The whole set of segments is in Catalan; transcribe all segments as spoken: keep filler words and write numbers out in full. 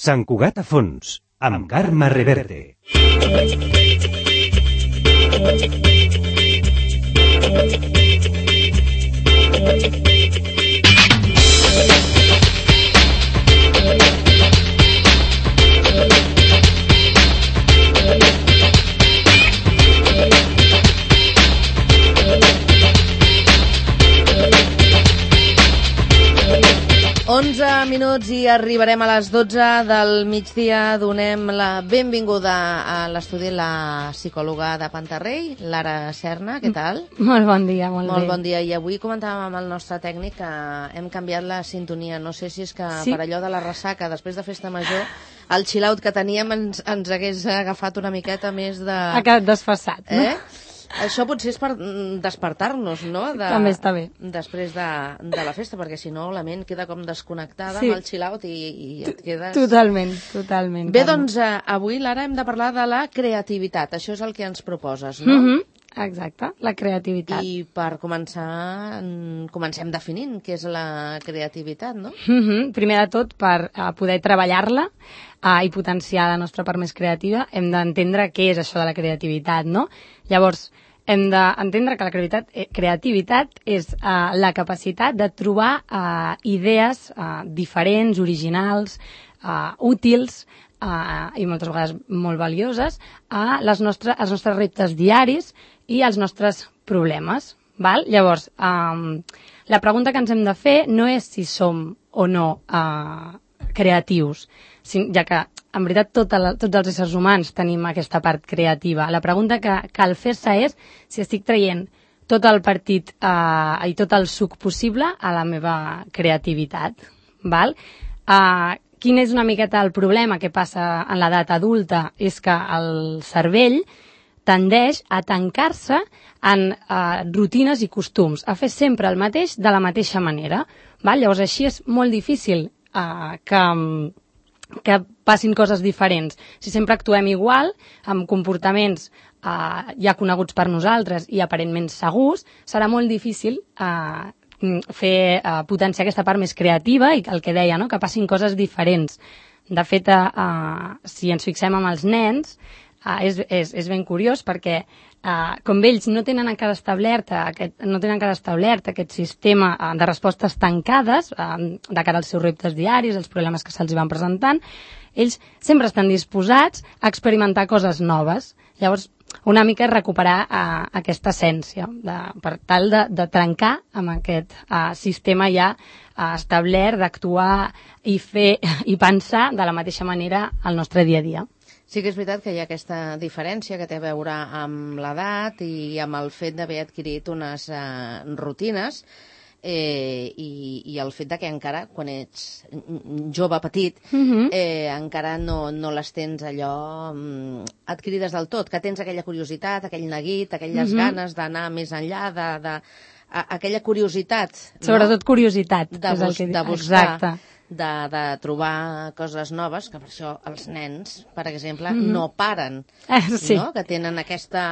Sant Cugat a fons, amb Carme Reverte. onze minuts i arribarem a les dotze del migdia. Donem la benvinguda a l'estudi la psicòloga de Pantarrey, Lara Serna. Què tal? Molt bon dia, molt, molt bé. bon dia. I avui comentàvem amb el nostre tècnic que hem canviat la sintonia. No sé si és que sí. per allò de la ressaca, després de festa major, el chill-out que teníem ens, ens hagués agafat una miqueta més de... Ha quedat desfasat, no? Eh? Això potser és per despertar-nos, no? De, També està bé. Després de, de la festa, perquè si no la ment queda com desconnectada sí. amb el chill-out i, i et quedes... Totalment, totalment. Bé, doncs, eh, avui, Lara, hem de parlar de la creativitat. Això és el que ens proposes, no? Mm-hmm. Exacte, la creativitat. I per començar, comencem definint què és la creativitat, no? Mm-hmm. Primer de tot, per uh, poder treballar-la uh, i potenciar la nostra part més creativa, hem d'entendre què és això de la creativitat, no? Llavors, hem d'entendre que la creativitat, eh, creativitat és uh, la capacitat de trobar uh, idees uh, diferents, originals, uh, útils, uh, i moltes vegades molt valioses, a les nostres, als nostres reptes diaris i als nostres problemes. Val? Llavors, um, la pregunta que ens hem de fer no és si som o no uh, creatius, ja que, en veritat, tota la, tots els éssers humans tenim aquesta part creativa. La pregunta que cal fer-se és si estic traient tot el partit uh, i tot el suc possible a la meva creativitat. Val? Uh, quin és una miqueta el problema que passa en l'edat adulta? És que el cervell tendeix a tancar-se en uh, rutines i costums, a fer sempre el mateix de la mateixa manera. Val? Llavors, així és molt difícil uh, que, que passin coses diferents. Si sempre actuem igual, amb comportaments uh, ja coneguts per nosaltres i aparentment segurs, serà molt difícil uh, fer uh, potenciar aquesta part més creativa i el que deia, no? Que passin coses diferents. De fet, uh, si ens fixem amb els nens, Uh, és, és, és ben curiós perquè uh, com ells no tenen encara establert aquest, no tenen encara establert aquest sistema uh, de respostes tancades uh, de cara als seus reptes diaris, els problemes que se'ls van presentant, ells sempre estan disposats a experimentar coses noves. Llavors, una mica és recuperar uh, aquesta essència de, per tal de, de trencar amb aquest uh, sistema ja uh, establert d'actuar i fer i pensar de la mateixa manera al nostre dia a dia. Sí que és veritat que hi ha aquesta diferència que té a veure amb l'edat i amb el fet d'haver adquirit unes uh, rutines eh, i, i el fet de que encara, quan ets jove petit, mm-hmm. eh, encara no, no les tens allò um, adquirides del tot, que tens aquella curiositat, aquell neguit, aquelles mm-hmm. ganes d'anar més enllà, de, de, a, aquella curiositat. Sobretot no? Curiositat. De, bus, és el que... de buscar. Exacte. De, de trobar coses noves, que per això els nens, per exemple, mm-hmm. no paren, eh, sí. no? Que tenen aquesta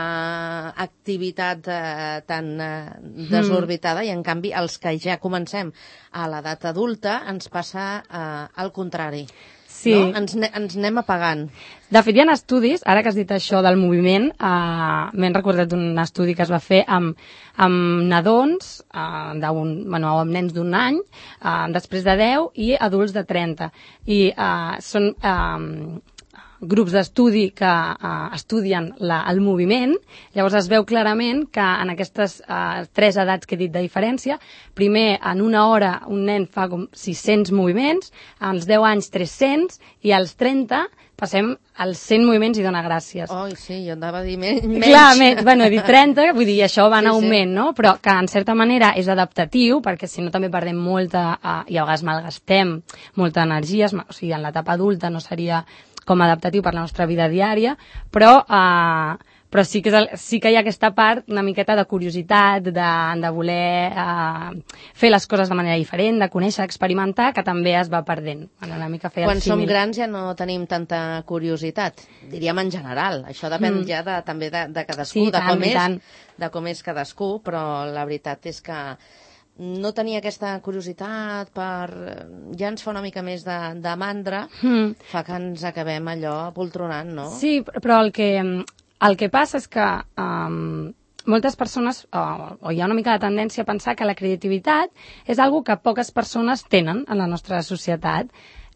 activitat eh, tan eh, desorbitada, mm. i en canvi els que ja comencem a l'edat adulta ens passa eh, al contrari. Sí. No? Ens, ens anem apagant. De fet, hi ha estudis, ara que has dit això del moviment, eh, m'he recordat un estudi que es va fer amb, amb nadons, eh, bueno, amb nens d'un any, eh, després de deu i adults de trenta. I eh, són eh, grups d'estudi que eh, estudien la, el moviment. Llavors es veu clarament que en aquestes eh, tres edats que he dit de diferència, primer en una hora un nen fa com sis-cents moviments, als deu anys tres-cents i als trenta passem als cent moviments i dona gràcies. Oi, sí, jo anava a dir menys. Clar, menys, bueno, he dit trenta, vull dir, això va en sí, augment, sí. no? Però que en certa manera és adaptatiu, perquè si no també perdem molta, uh, i a vegades malgastem molta energia, o sigui, en l'etapa adulta no seria com adaptatiu per la nostra vida diària, però... Uh, però sí que, és el, sí que hi ha aquesta part una miqueta de curiositat, de, de voler uh, fer les coses de manera diferent, de conèixer, experimentar, que també es va perdent. Bueno, una mica fer Quan som grans ja no tenim tanta curiositat, diríem en general. Això depèn mm. ja de, també de, de cadascú, sí, de, tant, com és, tant. de com és cadascú, però la veritat és que no tenir aquesta curiositat per... ja ens fa una mica més de, de mandra, Mm. fa que ens acabem allò poltronant, no? Sí, però el que, el que passa és que um, moltes persones, o, o hi ha una mica de tendència a pensar que la creativitat és algo que poques persones tenen en la nostra societat.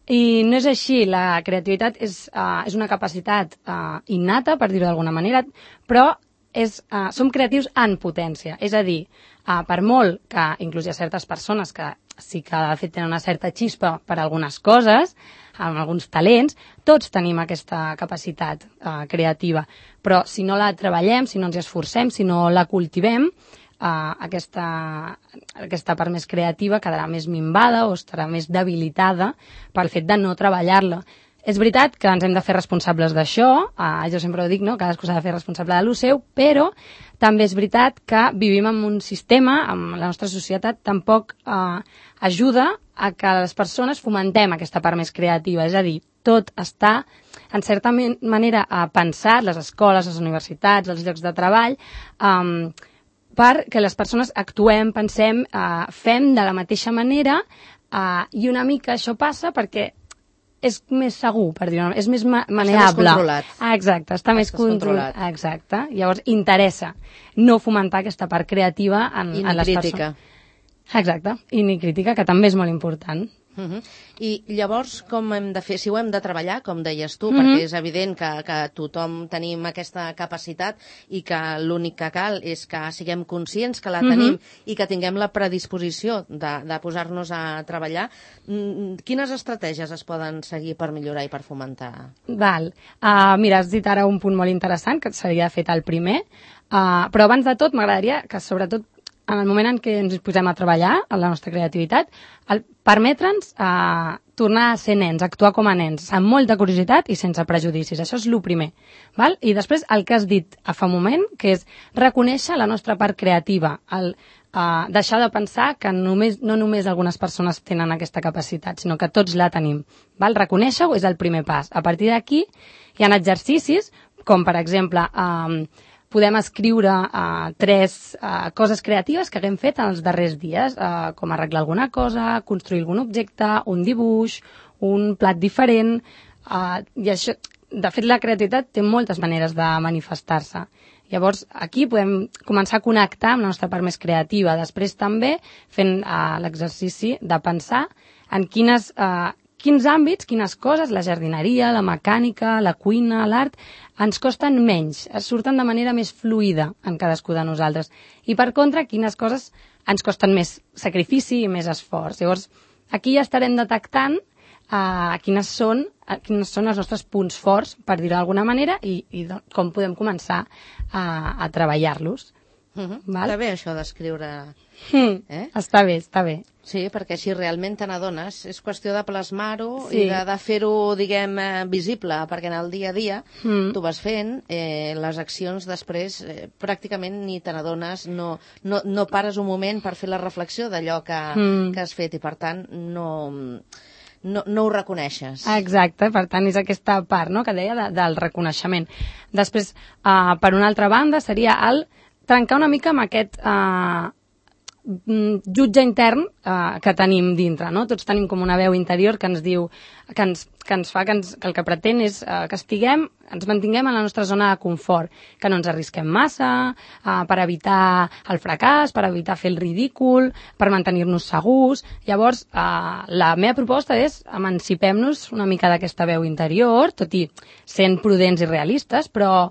I no és així, la creativitat és, uh, és una capacitat uh, innata, per dir-ho d'alguna manera, però és, uh, som creatius en potència. És a dir, uh, per molt que inclús hi ha certes persones que sí que de fet tenen una certa xispa per algunes coses, amb alguns talents, tots tenim aquesta capacitat uh, creativa. Però si no la treballem, si no ens hi esforcem, si no la cultivem, Uh, aquesta, aquesta part més creativa quedarà més minvada o estarà més debilitada pel fet de no treballar-la. És veritat que ens hem de fer responsables d'això, uh, jo sempre ho dic, no? Cadascú s'ha de fer responsable de lo seu, però també és veritat que vivim en un sistema, amb la nostra societat, tampoc uh, ajuda a que les persones fomentem aquesta part més creativa, és a dir, tot està, en certa manera, uh, pensat, les escoles, les universitats, els llocs de treball, um, perquè les persones actuem, pensem, eh, fem de la mateixa manera eh, i una mica això passa perquè és més segur, per dir-ho, és més ma maneable. Està més controlat. Ah, exacte, està més controlat. Contro exacte. Llavors, interessa no fomentar aquesta part creativa en, I en les crítica. persones. Exacte, i ni crítica, que també és molt important. Uh -huh. I llavors, com hem de fer? Si ho hem de treballar, com deies tu, uh Mhm. -huh. perquè és evident que, que tothom tenim aquesta capacitat i que l'únic que cal és que siguem conscients que la tenim uh -huh. i que tinguem la predisposició de, de posar-nos a treballar. Quines estratègies es poden seguir per millorar i per fomentar? Val. Uh, mira, has dit ara un punt molt interessant, que s'havia fet el primer, uh, però abans de tot m'agradaria que, sobretot, en el moment en què ens posem a treballar, en la nostra creativitat, el permetre'ns eh, tornar a ser nens, actuar com a nens, amb molta curiositat i sense prejudicis. Això és el primer. Val? I després el que has dit a fa un moment, que és reconèixer la nostra part creativa, el eh, deixar de pensar que només, no només algunes persones tenen aquesta capacitat, sinó que tots la tenim. Val? Reconèixer-ho és el primer pas. A partir d'aquí hi ha exercicis, com per exemple... Eh, podem escriure uh, tres uh, coses creatives que haguem fet en els darrers dies, uh, com arreglar alguna cosa, construir algun objecte, un dibuix, un plat diferent, uh, i això, de fet, la creativitat té moltes maneres de manifestar-se. Llavors, aquí podem començar a connectar amb la nostra part més creativa. Després també fent uh, l'exercici de pensar en quines... Uh, quins àmbits, quines coses, la jardineria, la mecànica, la cuina, l'art, ens costen menys, es surten de manera més fluida en cadascú de nosaltres. I per contra, quines coses ens costen més sacrifici i més esforç. Llavors, aquí ja estarem detectant uh, quines, són, uh, quines són els nostres punts forts, per dir-ho d'alguna manera, i, i com podem començar uh, a treballar-los. Uh -huh. Val? Està bé això d'escriure. Mm, eh? Està bé, està bé. Sí, perquè si realment te n'adones, és qüestió de plasmar-ho Sí. i de, de fer-ho, diguem, eh, visible, perquè en el dia a dia Mm. tu vas fent eh, les accions després, eh, pràcticament ni te n'adones, no, no, no pares un moment per fer la reflexió d'allò que, Mm. que has fet i, per tant, no... No, no ho reconeixes. Exacte, per tant, és aquesta part, no?, que deia de, del reconeixement. Després, uh, per una altra banda, seria el trencar una mica amb aquest uh, jutge intern uh, que tenim dintre, no? Tots tenim com una veu interior que ens diu, que ens, que ens fa, que, ens, que el que pretén és uh, que estiguem, ens mantinguem en la nostra zona de confort, que no ens arrisquem massa, uh, per evitar el fracàs, per evitar fer el ridícul, per mantenir-nos segurs. Llavors, uh, la meva proposta és emancipem-nos una mica d'aquesta veu interior, tot i sent prudents i realistes, però,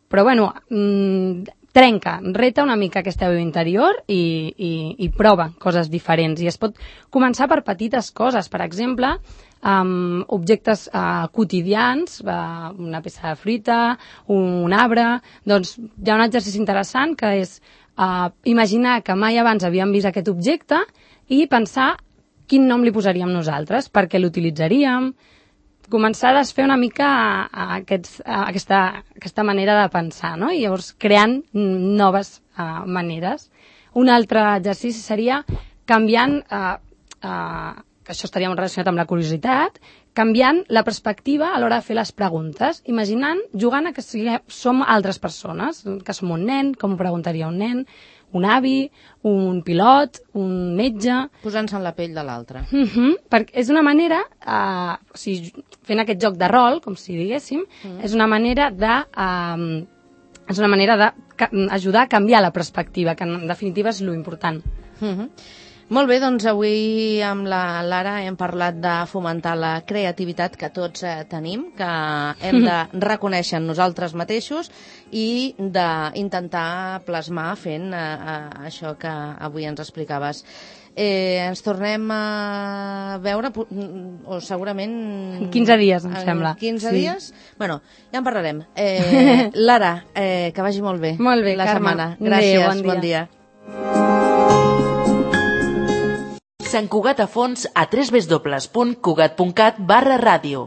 però bueno, mmm, trenca, reta una mica aquesta veu interior i, i, i prova coses diferents. I es pot començar per petites coses, per exemple, amb objectes uh, quotidians, uh, una peça de fruita, un, un arbre. Doncs hi ha un exercici interessant que és uh, imaginar que mai abans havíem vist aquest objecte i pensar quin nom li posaríem nosaltres, per què l'utilitzaríem, començar a desfer una mica a, a aquests, a aquesta, aquesta manera de pensar, no? I llavors creant noves uh, maneres. Un altre exercici seria canviant, uh, uh, que això estaria relacionat amb la curiositat, canviant la perspectiva a l'hora de fer les preguntes, imaginant, jugant a que siguem, som altres persones, que som un nen, com ho preguntaria un nen, un avi, un pilot, un metge... Posant-se en la pell de l'altre. Uh -huh, perquè és una manera, uh, o sigui, fent aquest joc de rol, com si diguéssim, mm. és una manera de... Uh, és una manera d'ajudar a canviar la perspectiva, que en definitiva és lo important. Uh -huh. Molt bé, doncs avui amb la Lara hem parlat de fomentar la creativitat que tots eh, tenim, que hem de reconèixer en nosaltres mateixos i d'intentar plasmar fent eh, eh, això que avui ens explicaves. Eh, ens tornem a veure, o segurament... En quinze dies, em sembla. En quinze sí. dies? Bueno, ja en parlarem. Eh, Lara, eh, que vagi molt bé. Molt bé, la Carme. setmana. Gràcies, Adéu, bon dia. bon dia. Sant Cugat a fons a w w w punt cugat punt cat barra ràdio.